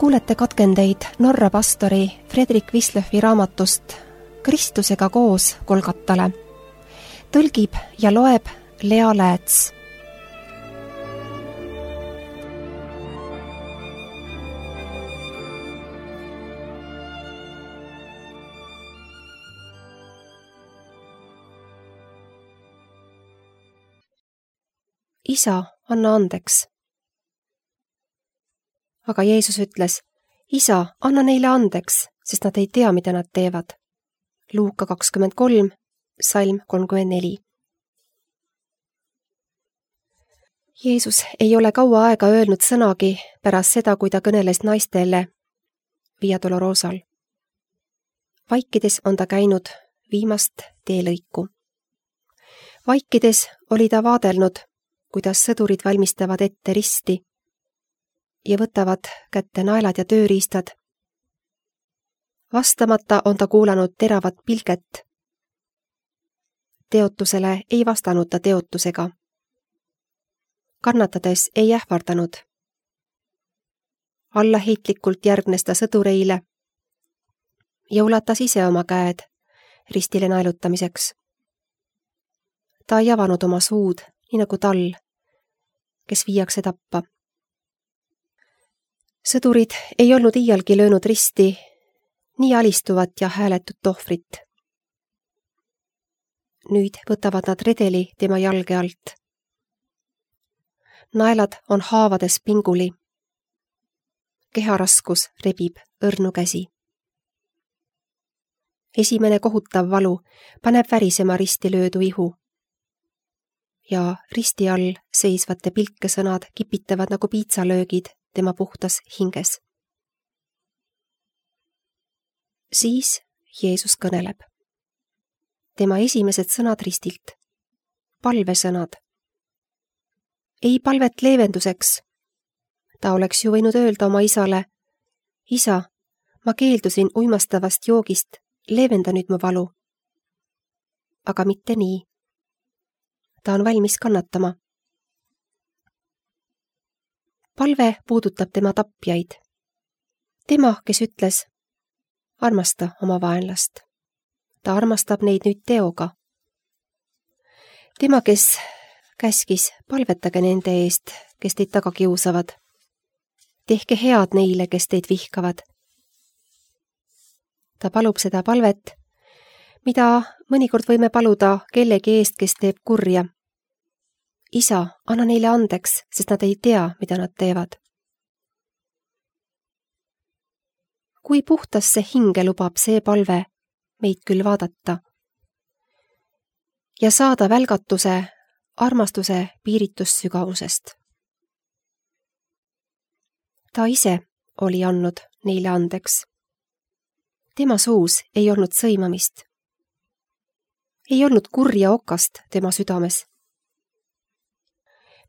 Kuulete katkendeid Norra pastori Fredrik Wislöfi raamatust Kristusega koos Golgatale. Tõlgib ja loeb Lea Lääts. Isa, anna andeks. Aga Jeesus ütles, Isa, anna neile andeks, sest nad ei tea, mida nad teevad. Luuka 23, salm 34. Jeesus ei ole kaua aega öelnud sõnagi pärast seda, kui ta kõneles naistele Via Dolorosal. Vaikides on ta käinud viimast teelõiku. Vaikides oli ta vaadelnud, kuidas sõdurid valmistavad ette risti ja võtavad kätte naelad ja tööriistad. Vastamata on ta kuulanud teravat pilget. Teotusele ei vastanud ta teotusega. Kannatades ei ähvardanud. Allaheitlikult järgnes ta sõdureile ja ulatas ise oma käed ristile naelutamiseks. Ta ei avanud oma suud, nii nagu tal, kes viiakse tappa. Sõdurid ei olnud iialgi löönud risti nii alistuvat ja hääletut ohvrit. Nüüd võtavad nad redeli tema jalge alt. Naelad on haavades pinguli. Keharaskus rebib õrnu käsi. Esimene kohutav valu paneb värisema risti löödu ihu. Ja risti all seisvate pilkesõnad kipitavad nagu piitsalöögid tema puhtas hinges. Siis Jeesus kõneleb. Tema esimesed sõnad ristilt. Palvesõnad. Ei palvet leevenduseks. Ta oleks ju võinud öelda oma isale, Isa, ma keeldusin uimastavast joogist, leevenda nüüd mu valu. Aga mitte nii. Ta on valmis kannatama. Palve puudutab tema tapjaid. Tema, kes ütles, armasta oma vaenlast. Ta armastab neid nüüd teoga. Tema, kes käskis, palvetage nende eest, kes teid taga kiusavad. Tehke head neile, kes teid vihkavad. Ta palub seda palvet, mida mõnikord võime paluda kellegi eest, kes teeb kurja. Isa, anna neile andeks, sest nad ei tea, mida nad teevad. Kui puhtasse hinge lubab see palve meid küll vaadata ja saada välgatuse armastuse piiritussügavusest. Ta ise oli andnud neile andeks. Tema suus ei olnud sõimamist. Ei olnud kurja okast tema südames.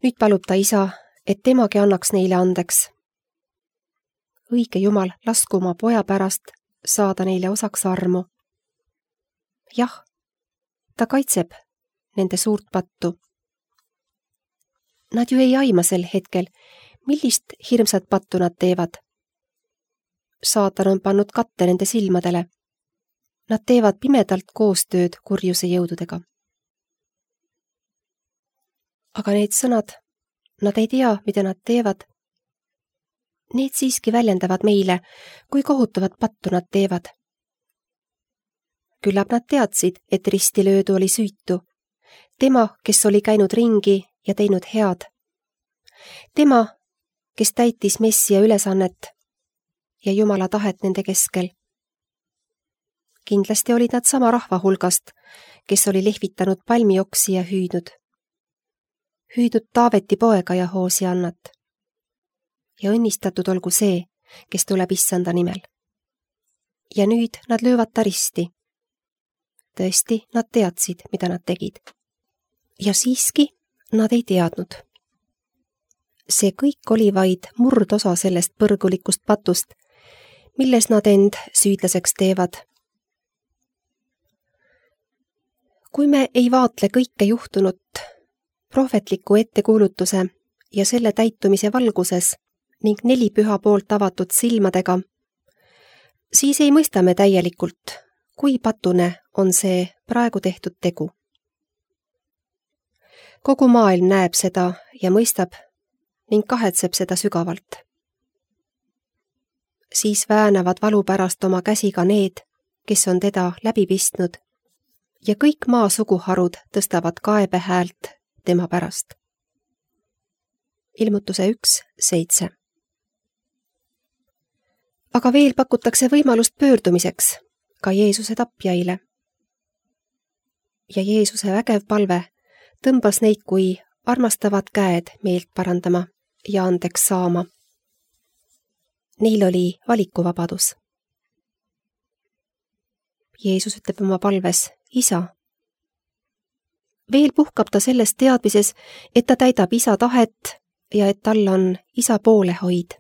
Nüüd palub ta isa, et temagi annaks neile andeks. Õige Jumal, lasku oma poja pärast saada neile osaks armu. Jah, ta kaitseb nende suurt pattu. Nad ju ei aima sel hetkel, millist hirmsat pattu nad teevad. Saatan on pannud katte nende silmadele. Nad teevad pimedalt koostööd kurjuse jõududega. Aga need sõnad, nad ei tea, mida nad teevad. Need siiski väljendavad meile, kui kohutavat pattu nad teevad. Küllap nad teadsid, et risti löödu oli süütu. Tema, kes oli käinud ringi ja teinud head. Tema, kes täitis Messia ülesannet ja Jumala tahet nende keskel. Kindlasti olid nad sama rahva hulgast, kes oli lehvitanud palmioksi ja hüüdnud Taaveti poega ja Hoosiannat. Ja õnnistatud olgu see, kes tuleb issanda nimel. Ja nüüd nad löövad ta risti. Tõesti, nad teadsid, mida nad tegid. Ja siiski nad ei teadnud. See kõik oli vaid murdosa sellest põrgulikust patust, milles nad end süüdlaseks teevad. Kui me ei vaatle kõike juhtunut prohvetliku ettekuulutuse ja selle täitumise valguses ning 4 püha poolt avatud silmadega, siis ei mõista me täielikult, kui patune on see praegu tehtud tegu. Kogu maailm näeb seda ja mõistab ning kahetseb seda sügavalt. Siis väänavad valu pärast oma käsi ka need, kes on teda läbi pistnud, ja kõik maa suguharud tõstavad kaebehäält tema pärast. Ilmutuse 1:7. Aga veel pakutakse võimalust pöördumiseks ka Jeesuse tapjaile. Ja Jeesuse vägev palve tõmbas neid kui armastavad käed meelt parandama ja andeks saama. Neil oli valikuvabadus. Jeesus ütleb oma palves Isa. Veel puhkab ta selles teadmises, et ta täidab Isa tahet ja et tal on Isa poolehoid.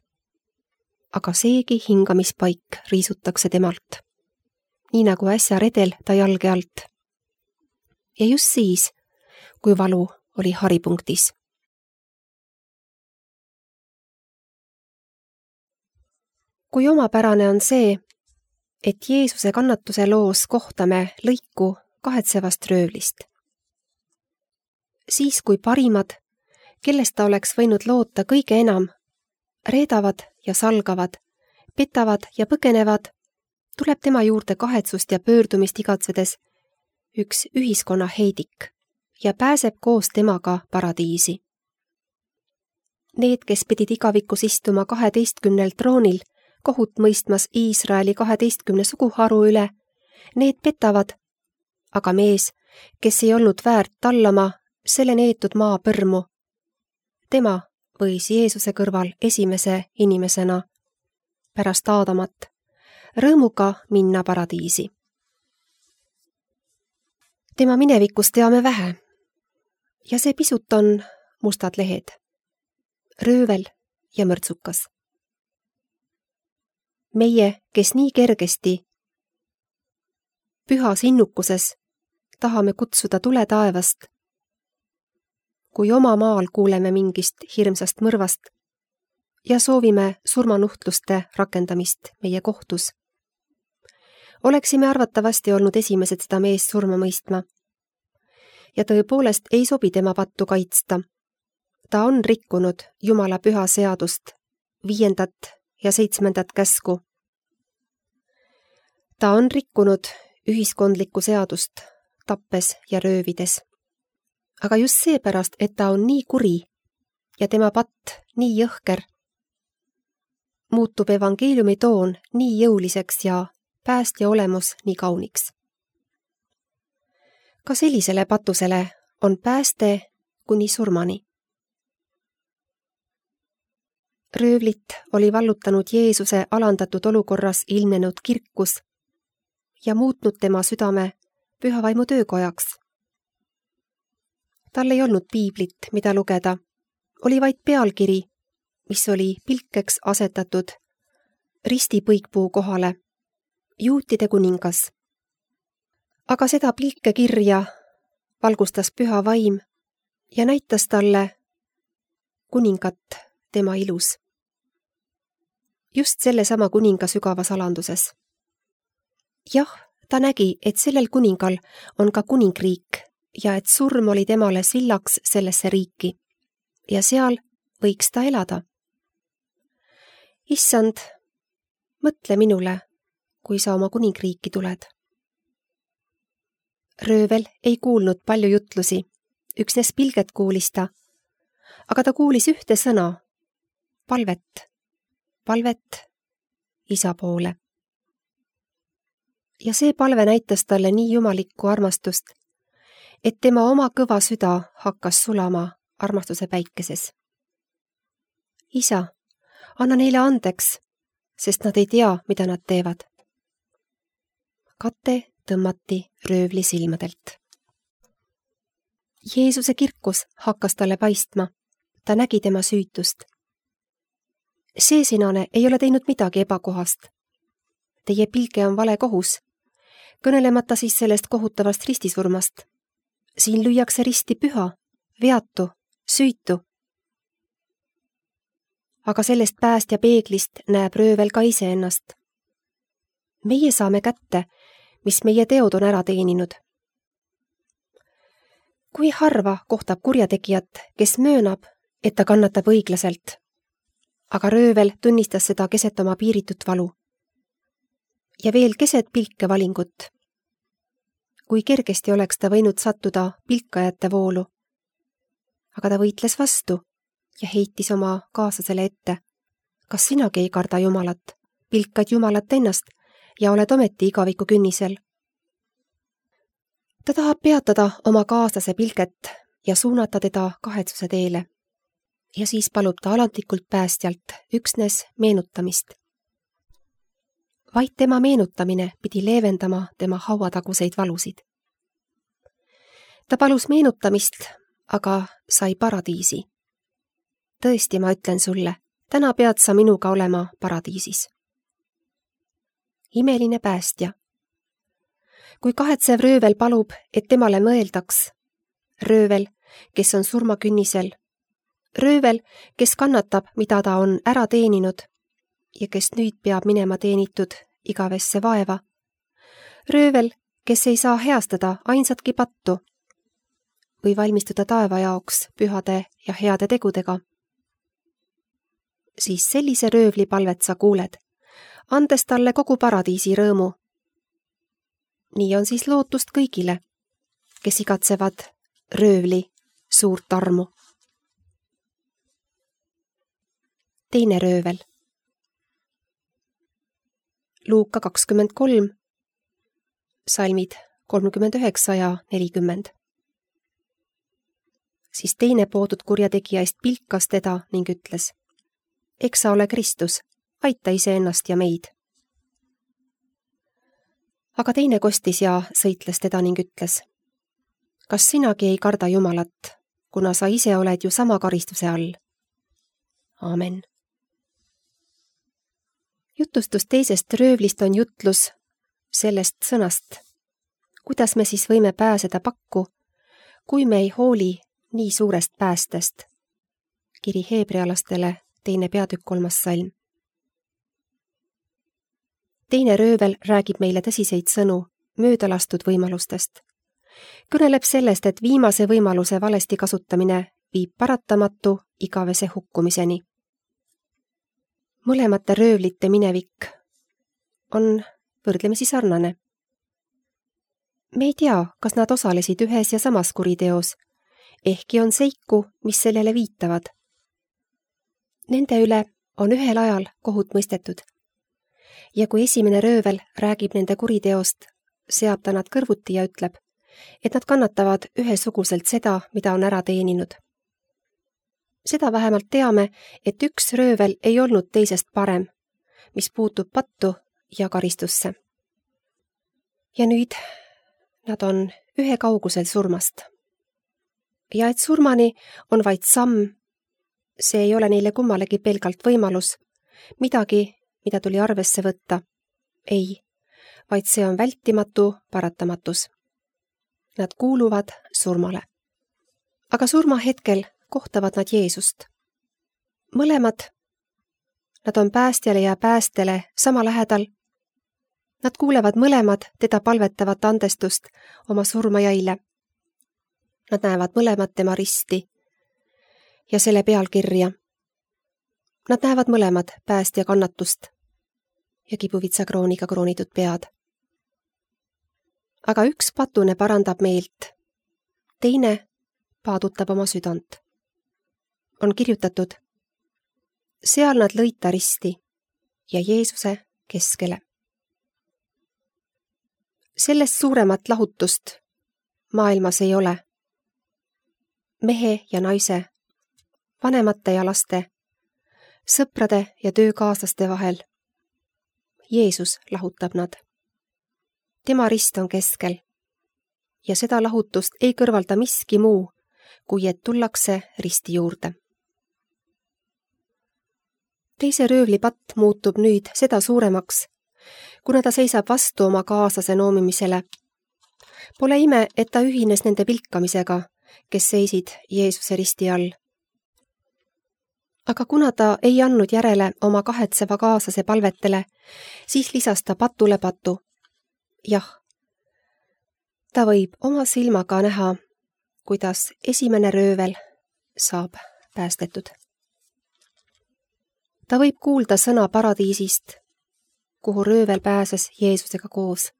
Aga seegi hingamispaik riisutakse temalt, nii nagu äsja redel ta jalge alt. Ja just siis, kui valu oli haripunktis. Kui omapärane on see, et Jeesuse kannatuse loos kohtame lõiku kahetsevast röövlist. Siis, kui parimad, kellest ta oleks võinud loota kõige enam, reedavad ja salgavad, petavad ja põgenevad, tuleb tema juurde kahetsust ja pöördumist igatsedes üks ühiskonna heidik ja pääseb koos temaga paradiisi. Need, kes pidid igavikus istuma 12 troonil, kohut mõistmas Iisraeli 12 suguharu üle, need petavad, aga mees, kes ei olnud väärt tallama selle neetud maa põrmu, tema võis Jeesuse kõrval esimese inimesena pärast Aadamat rõõmuga minna paradiisi. Tema minevikust teame vähe ja see pisut on mustad lehed, röövel ja mörtsukas. Meie, kes nii kergesti pühas innukuses tahame kutsuda tule taevast, kui oma maal kuuleme mingist hirmsast mõrvast ja soovime surmanuhtluste rakendamist meie kohtus, oleksime arvatavasti olnud esimesed seda meest surma mõistma. Ja tõepoolest ei sobi tema pattu kaitsta. Ta on rikkunud Jumala püha seadust, 5. ja 7. käsku. Ta on rikkunud ühiskondlikku seadust, tappes ja röövides. Aga just seepärast, et ta on nii kuri ja tema patt nii jõhker, muutub evangeeliumi toon nii jõuliseks ja päästja olemus nii kauniks. Ka sellisele patusele on pääste kuni surmani. Röövlit oli vallutanud Jeesuse alandatud olukorras ilmnenud kirkus ja muutnud tema südame pühavaimu töökojaks. Tal ei olnud piiblit, mida lugeda, oli vaid pealkiri, mis oli pilkeks asetatud ristipõikpuu kohale, juutide kuningas. Aga seda pilkekirja valgustas püha vaim ja näitas talle kuningat tema ilus. Just sellesama kuninga sügavas alanduses. Jah, ta nägi, et sellel kuningal on ka kuningriik ja et surm oli temale sillaks sellesse riiki ja seal võiks ta elada. Issand, mõtle minule, kui sa oma kuningriiki tuled. Röövel ei kuulnud palju jutlusi, üksnes pilget kuulis ta, aga ta kuulis ühte sõna, palvet Isa poole. Ja see palve näitas talle nii jumalikku armastust, et tema oma kõva süda hakkas sulama armastuse päikeses. Isa, anna neile andeks, sest nad ei tea, mida nad teevad. Kate tõmmati röövli silmadelt. Jeesuse kirkus hakkas talle paistma, ta nägi tema süütust. See sinane ei ole teinud midagi ebakohast. Teie pilge on vale kohus, kõnelemata siis sellest kohutavast ristisurmast. Siin lüüakse risti püha, veatu, süütu. aga sellest päästja peeglist näeb röövel ka iseennast. Meie saame kätte, mis meie teod on ära teeninud. Kui harva kohtab kurjategijat, kes möönab, et ta kannatab õiglaselt, aga röövel tunnistas seda keset oma piiritut valu. Ja veel keset pilkevalingut. Kui kergesti oleks ta võinud sattuda pilkajate voolu. Aga ta võitles vastu ja heitis oma kaaslasele ette. Kas sinagi ei karda Jumalat, pilkad Jumalat ennast ja oled ometi igaviku künnisel? Ta tahab peatada oma kaaslase pilket ja suunata teda kahetsuse teele. Ja siis palub ta alandlikult päästjalt üksnes meenutamist. Vaid tema meenutamine pidi leevendama tema hauataguseid valusid. Ta palus meenutamist, aga sai paradiisi. Tõesti, ma ütlen sulle, täna pead sa minuga olema paradiisis. Imeline päästja. Kui kahetsev röövel palub, et temale mõeldaks, röövel, kes on surmakünnisel, röövel, kes kannatab, mida ta on ära teeninud ja kes nüüd peab minema teenitud igavesse vaeva, röövel, kes ei saa heastada ainsatki pattu või valmistuda taeva jaoks pühade ja heade tegudega, siis sellise röövli palvet sa kuuled, andes talle kogu paradiisi rõõmu. Nii on siis lootust kõigile, kes igatsevad röövli suurt armu. Teine röövel. Luuka 23, salmid 39 ja 40. Siis teine poodud kurjategija eest pilkas teda ning ütles: eks sa ole Kristus, aita iseennast ja meid. Aga teine kostis ja sõitles teda ning ütles: kas sinagi ei karda Jumalat, kuna sa ise oled ju sama karistuse all? Aamen. Jutustus teisest röövlist on jutlus sellest sõnast, kuidas me siis võime pääseda pakku, kui me ei hooli nii suurest päästest. Kiri heebrealastele, 2. peatükk 3. salm. Teine röövel räägib meile tõsiseid sõnu möödalastud võimalustest. Kõneleb sellest, et viimase võimaluse valesti kasutamine viib paratamatu igavese hukkumiseni. Mõlemate röövlite minevik on võrdlemisi sarnane. Me ei tea, kas nad osalesid ühes ja samas kuriteos, ehkki on seiku, mis sellele viitavad. Nende üle on ühel ajal kohut mõistetud. Ja kui esimene röövel räägib nende kuriteost, seab ta nad kõrvuti ja ütleb, et nad kannatavad ühesuguselt seda, mida on ära teeninud. Seda vähemalt teame, et üks röövel ei olnud teisest parem, mis puutub pattu ja karistusse. Ja nüüd nad on ühe kaugusel surmast. Ja et surmani on vaid samm, see ei ole neile kummalegi pelgalt võimalus, midagi, mida tuli arvesse võtta. Ei, vaid see on vältimatu paratamatus. Nad kuuluvad surmale. Aga surma hetkel kohtavad nad Jeesust. Mõlemad, nad on päästjale ja päästele sama lähedal. Nad kuulevad mõlemad teda palvetavat andestust oma surmajaile. Nad näevad mõlemad tema risti ja selle pealkirja. Nad näevad mõlemad päästja kannatust ja kibuvitsa krooniga kroonitud pead. Aga üks patune parandab meelt, teine paadutab oma südant. On kirjutatud: seal nad lõid ta risti ja Jeesuse keskele. Sellest suuremat lahutust maailmas ei ole. Mehe ja naise, vanemate ja laste, sõprade ja töökaaslaste vahel. Jeesus lahutab nad. Tema rist on keskel ja seda lahutust ei kõrvalda miski muu, kui et tullakse risti juurde. Teise röövli patt muutub nüüd seda suuremaks, kuna ta seisab vastu oma kaaslase noomimisele. Pole ime, et ta ühines nende pilkamisega, kes seisid Jeesuse risti all. Aga kuna ta ei andnud järele oma kahetseva kaaslase palvetele, siis lisas ta patule patu. Jah, ta võib oma silmaga näha, kuidas esimene röövel saab päästetud. Ta võib kuulda sõna paradiisist, kuhu röövel pääses Jeesusega koos.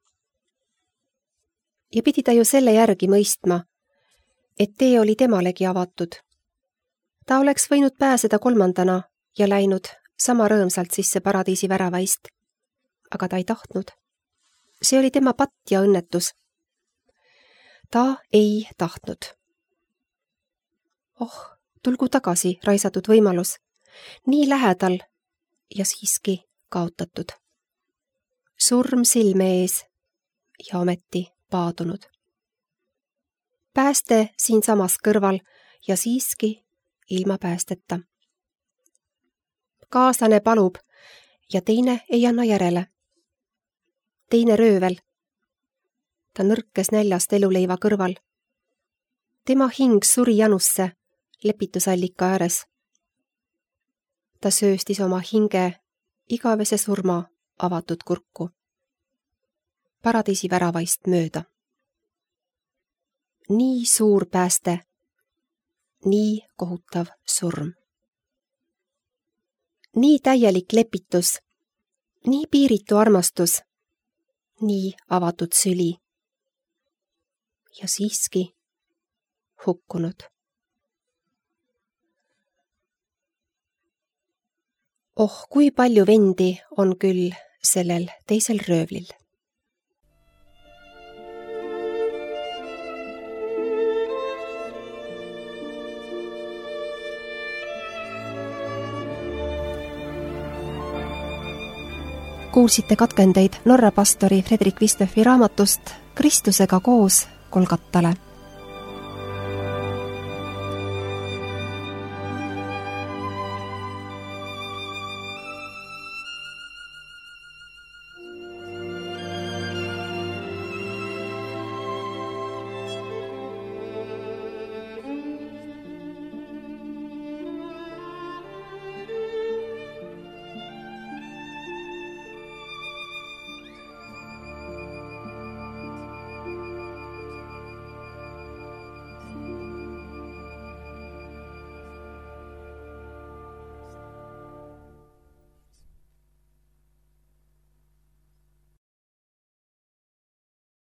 Ja pidi ta ju selle järgi mõistma, et tee oli temalegi avatud. Ta oleks võinud pääseda kolmandana ja läinud sama rõõmsalt sisse paradiisi väravaist. Aga ta ei tahtnud. See oli tema patt ja õnnetus. Ta ei tahtnud. Oh, tulgu tagasi raisatud võimalus. Nii lähedal ja siiski kaotatud. Surm silme ees ja ometi paadunud. Pääste siinsamas kõrval ja siiski ilma päästeta. Kaaslane palub ja teine ei anna järele. Teine röövel. Ta nõrkes näljast eluleiva kõrval. Tema hing suri janusse lepitusallika ääres. Ta sööstis oma hinge igavese surma avatud kurku. Paradiisi väravaist mööda. Nii suur pääste, nii kohutav surm. Nii täielik lepitus, nii piiritu armastus, nii avatud süli. Ja siiski hukkunud. Oh, kui palju vendi on küll sellel teisel röövlil. Kuulsite katkendeid Norra pastori Fredrik Vistøffi raamatust Kristusega koos Golgatale.